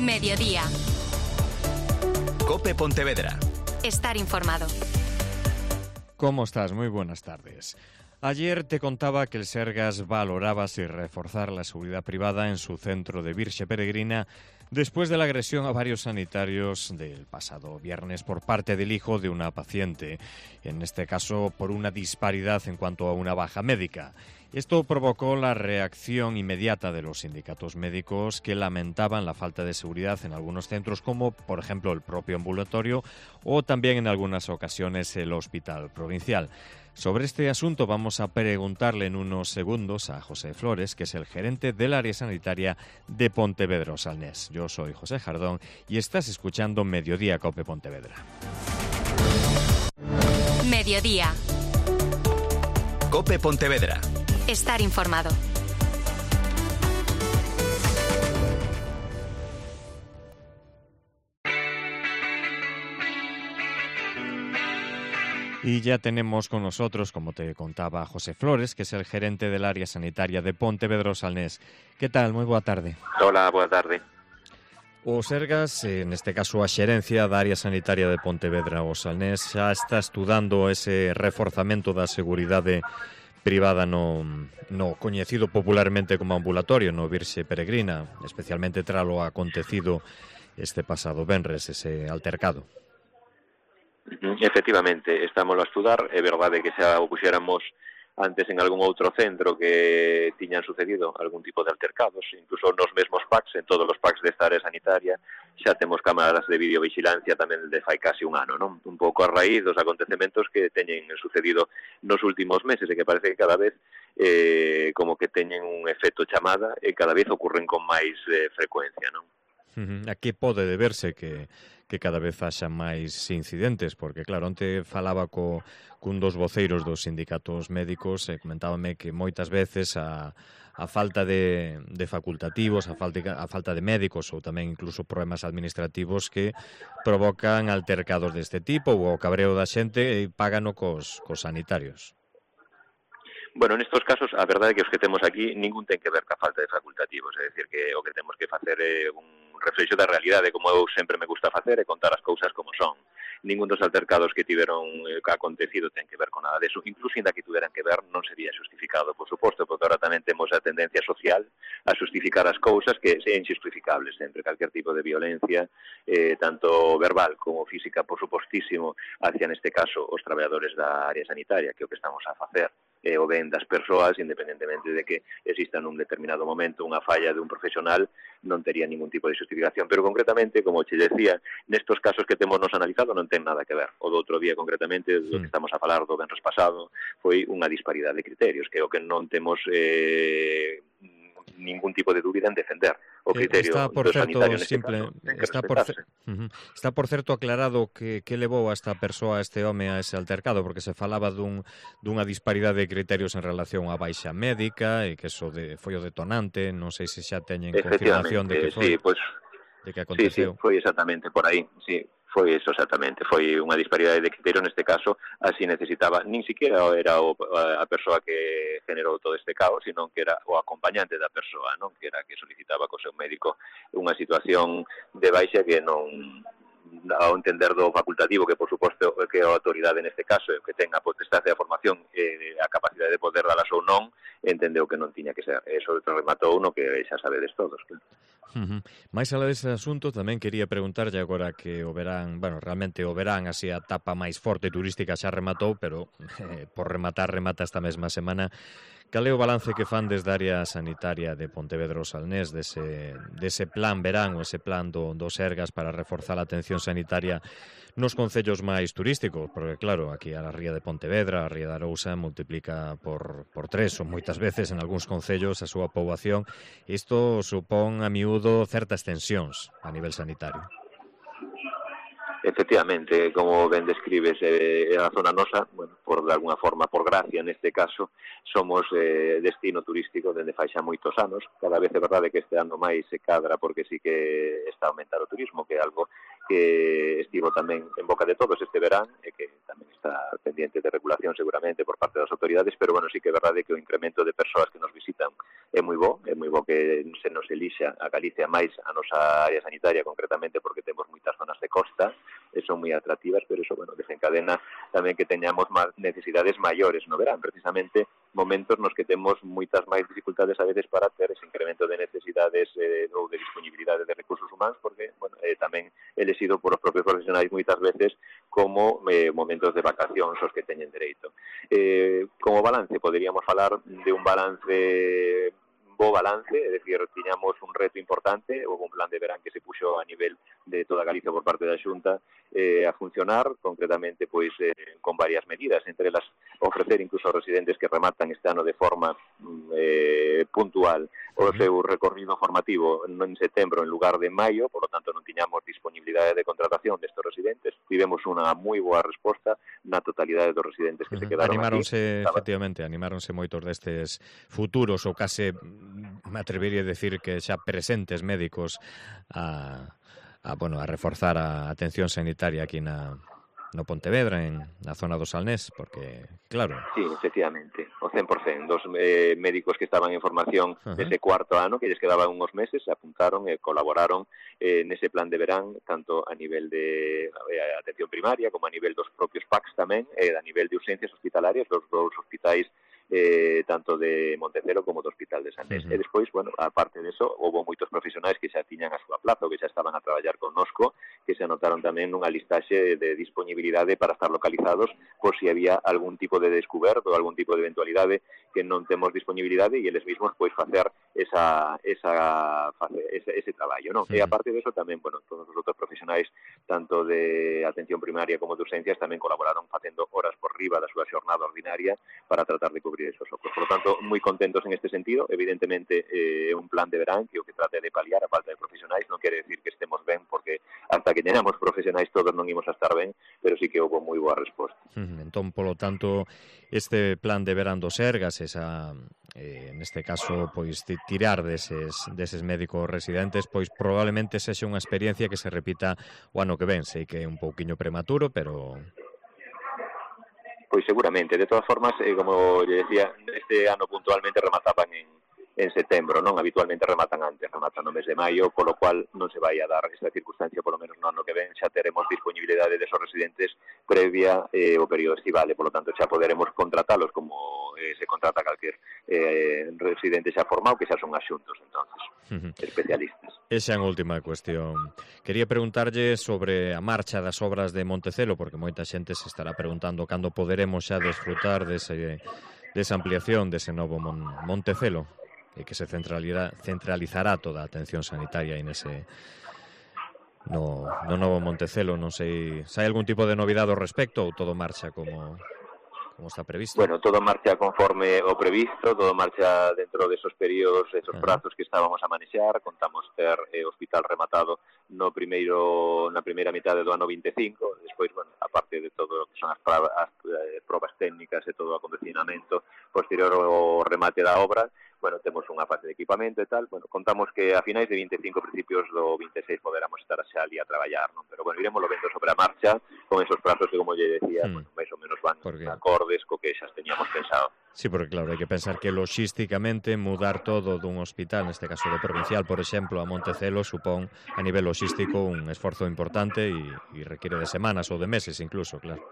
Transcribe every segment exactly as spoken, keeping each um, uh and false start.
Mediodía. COPE Pontevedra. Estar informado. ¿Cómo estás? Muy buenas tardes. Ayer te contaba que el Sergas valoraba si reforzar la seguridad privada en su centro de Virxe Peregrina después de la agresión a varios sanitarios del pasado viernes por parte del hijo de una paciente, en este caso por una disparidad en cuanto a una baja médica. Esto provocó la reacción inmediata de los sindicatos médicos que lamentaban la falta de seguridad en algunos centros, como por ejemplo el propio ambulatorio o también en algunas ocasiones el hospital provincial. Sobre este asunto vamos a preguntarle en unos segundos a José Flores, que es el gerente del área sanitaria de Pontevedra Salnés. Yo soy José Jardón y estás escuchando Mediodía COPE Pontevedra. Mediodía. COPE Pontevedra. Estar informado. Y ya tenemos con nosotros, como te contaba, José Flores, que es el gerente del área sanitaria de Pontevedra Salnés. ¿Qué tal? Moi boa tarde. Hola, boa tarde. O Sergas, en este caso a xerencia da área sanitaria de Pontevedra o Salnés, xa está estudando ese reforzamento da seguridade privada no, no coñecido popularmente como ambulatorio, no Virxe Peregrina, especialmente tras lo acontecido este pasado venres, ese altercado. Efectivamente, estamos a estudar. É verdade que xa o puxéramos antes en algún outro centro que tiñan sucedido algún tipo de altercados, incluso nos mesmos P A Cs, en todos os P A Cs desta área sanitaria, xa temos cámaras de videovigilancia tamén de fai casi un ano, non? Un pouco a raíz dos acontecementos que teñen sucedido nos últimos meses e que parece que cada vez eh, como que teñen un efecto chamada e cada vez ocurren con máis eh, frecuencia, non? A que pode deberse que, que cada vez haxa máis incidentes? Porque, claro, onte falaba co, cun dos voceiros dos sindicatos médicos e comentábame que moitas veces a, a falta de, de facultativos, a falta, a falta de médicos ou tamén incluso problemas administrativos que provocan altercados deste tipo ou o cabreo da xente e págano cos, cos sanitarios. Bueno, nestos casos, a verdade é que os que temos aquí ningún ten que ver ca falta de facultativos, é dicir, que o que temos que facer é un reflexo da realidade, como eu sempre me gusta facer, é contar as cousas como son. Ningún dos altercados que tiveron eh, que acontecido ten que ver con nada deso, incluso ainda que tuveran que ver non sería justificado, por suposto, porque ahora tamén temos a tendencia social a justificar as cousas que sean injustificables sempre, calquer tipo de violencia, eh, tanto verbal como física, por supostísimo, hacia neste caso os traballadores da área sanitaria, que é o que estamos a facer, e o ben das persoas, independentemente de que exista nun determinado momento unha falla de un profesional, non tería ningún tipo de justificación. Pero concretamente, como che decía, nestos casos que temos nos analizado non ten nada que ver. O do outro día, concretamente, do que estamos a falar do venres pasado, foi unha disparidade de criterios, que é o que non temos eh, ningún tipo de dúbida en defender o criterio está por do certo, sanitario neste simple, caso. está, por cer uh-huh. está por certo aclarado que, que levou a esta persoa, a este home, a ese altercado, porque se falaba dun, dunha disparidade de criterios en relación á baixa médica e que eso de, foi o detonante. Non sei se xa teñen confirmación de que foi, sí, pues, de que aconteceu. Sí, sí, foi exactamente por aí, sí. Foi eso exactamente, foi unha disparidade de criterio neste caso, así necesitaba, nin siquiera era o, a persoa que generou todo este caos, sino que era o acompañante da persoa, non? Que era que solicitaba co seu médico unha situación de baixa que non, ao entender do facultativo, que por suposto que a autoridade neste caso, que ten a potestade da formación e a capacidade de poder dalas ou non, entendeu que non tiña que ser. Eso rematou no que xa sabedes todos, claro. Uh-huh. Mais alá dese asunto, tamén quería preguntarlle agora que o verán, bueno, realmente o verán, así a etapa máis forte turística xa rematou, pero eh, por rematar, remata esta mesma semana. Cal é o balance que fan desde a área sanitaria de Pontevedra Salnés dese, dese plan verán, ou ese plan do, do Sergas para reforzar a atención sanitaria nos concellos máis turísticos? Porque claro, aquí a ría de Pontevedra, a ría de Arousa multiplica por, por tres, ou moitas veces en algúns concellos a súa poboación. Isto supón a miúdo certas tensións a nivel sanitario. Efectivamente, como ben describes, eh, a zona nosa, bueno, por de alguna forma, por gracia neste caso, somos eh, destino turístico dende fai xa moitos anos. Cada vez é verdade que este ano máis se cadra porque sí que está a aumentar o turismo, que é algo que estivo tamén en boca de todos este verán e que tamén está pendiente de regulación seguramente por parte das autoridades, pero bueno, sí que é verdade que o incremento de persoas que nos visitan é moi bo, é moi bo que se nos elixa a Galicia máis a nosa área sanitaria concretamente porque temos moitas zonas de costa e son moi atractivas, pero eso, bueno, desencadena tamén que teñamos máis necesidades maiores no verán, precisamente momentos nos que temos moitas máis dificultades a veces para ter ese incremento de necesidades eh, ou de disponibilidade de recursos humanos, porque, bueno, eh, tamén elegido por os propios profesionais moitas veces como eh, momentos de vacacións os que teñen dereito. Eh, como balance, poderíamos falar de un balance bo balance, é dicir, tiñamos un reto importante, houve un plan de verán que se puxo a nivel de toda Galicia por parte da Xunta eh, a funcionar, concretamente pois eh, con varias medidas, entre elas ofrecer incluso aos residentes que rematan este ano de forma eh, puntual o seu recorrido formativo en setembro en lugar de maio, por lo tanto non tiñamos disponibilidade de contratación destes residentes. Tivemos unha moi boa resposta na totalidade dos residentes que uh-huh. se quedaron animáronse, aquí. Efectivamente, animáronse moitos destes futuros ou case, me atrevería a decir que xa presentes médicos a, a, bueno, a reforzar a atención sanitaria aquí na no Pontevedra, en na zona do Salnés, porque, claro... Sí, efectivamente, o cen por cento dos eh, médicos que estaban en formación uh-huh. dese cuarto ano, que lles quedaban uns meses, se apuntaron e colaboraron eh, nese plan de verán, tanto a nivel de eh, atención primaria, como a nivel dos propios P A Cs tamén, e eh, a nivel de urxencias hospitalarias, dos dous hospitais Eh, tanto de Montecelo como do Hospital de Salnés. Uh-huh. E despois, bueno, aparte de eso, houve moitos profesionais que xa tiñan a súa plaza ou que xa estaban a traballar connosco, que se anotaron tamén nunha listaxe de disponibilidade para estar localizados por si había algún tipo de descuberto ou algún tipo de eventualidade que non temos disponibilidade e eles mismos pois facer esa esa ese, ese traballo, non? Uh-huh. E aparte de eso tamén, bueno, todos os outros profesionais tanto de atención primaria como de urxencias tamén colaboraron facendo horas por riba da súa xornada ordinaria para tratar de cubrir esos ojos. Por lo tanto, moi contentos en este sentido. Evidentemente, é eh, un plan de verán que o que trate de paliar a falta de profesionais, non quere decir que estemos ben, porque hasta que teñamos profesionais todos non imos a estar ben, pero sí que houve moi boa resposta. Uh-huh. Entón, polo tanto, este plan de verán dos Sergas, esa, eh, neste caso, pois tirar deses, deses médicos residentes, pois probablemente sexa unha experiencia que se repita o ano que ven. Sei que é un pouquiño prematuro, pero... Pois seguramente, de todas formas, eh, como lle decía, este ano puntualmente remataban en, en setembro, non? Habitualmente rematan antes, rematan no mes de maio, polo cual non se vai a dar esta circunstancia, polo menos no ano que ven, xa teremos disponibilidade de esos residentes previa eh, o período estival, e polo tanto xa poderemos contratalos como eh, se contrata calquer eh, residente xa formado, que xa son asuntos, entonces, uh-huh. especialistas. Esa é a última cuestión. Quería preguntarlle sobre a marcha das obras de Montecelo, porque moita xente se estará preguntando cando poderemos xa desfrutar dese, desa ampliación dese novo Mon Montecelo, e que se centralizará, centralizará toda a atención sanitaria aí nese no, no novo Montecelo. Non sei se hai algún tipo de novidade ao respecto ou todo marcha como... como está previsto? Bueno, todo marcha conforme o previsto, todo marcha dentro de esos períodos, esos uh-huh. prazos que estábamos a manexar. Contamos ter eh, hospital rematado no primeiro na primeira mitade do ano vinte e cinco, despois, bueno, aparte de todo o que son as, as, as eh, probas técnicas e todo o acondicionamento posterior ao remate da obra, bueno, temos unha fase de equipamento e tal, bueno, contamos que a finais de vinte e cinco, principios do vinte e seis poderamos estar xa ali a traballar, non? Pero, bueno, iremos lo vendo sobre a marcha, con esos prazos que, como lle decía, hmm. bueno, máis ou menos van acordes co que xa teníamos pensado. Sí, porque claro, hai que pensar que logísticamente mudar todo dun hospital, neste caso do provincial, por exemplo, a Montecelo, supón a nivel logístico un esforzo importante e, e requiere de semanas ou de meses incluso, claro.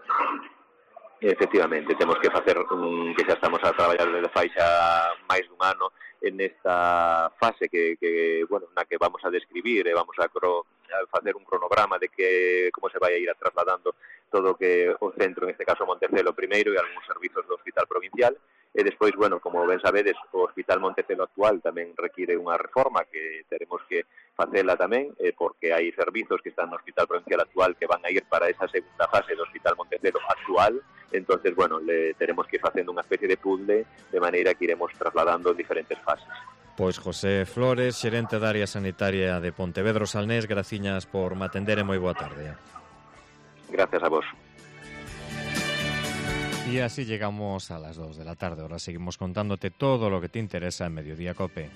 Efectivamente, temos que facer un, que xa estamos a traballar desde fai xa máis dun ano en esta fase que, que bueno, na que vamos a describir e vamos a, cro, a facer un cronograma de que como se vai a ir a trasladando todo o que o centro, en este caso Montecelo primeiro, e algúns servizos do hospital provincial. E despois, bueno, como ben sabedes, o Hospital Montecelo actual tamén require unha reforma que teremos que facela tamén, eh, porque hai servizos que están no Hospital Provincial actual que van a ir para esa segunda fase do Hospital Montecelo actual. Entonces, bueno, le teremos que ir facendo unha especie de puzzle de maneira que iremos trasladando en diferentes fases. Pois José Flores, xerente da área sanitaria de Pontevedra Salnés, graciñas por me atender e moi boa tarde. Gracias a vos. Y así llegamos a las dos de la tarde. Ahora seguimos contándote todo lo que te interesa en Mediodía Cope.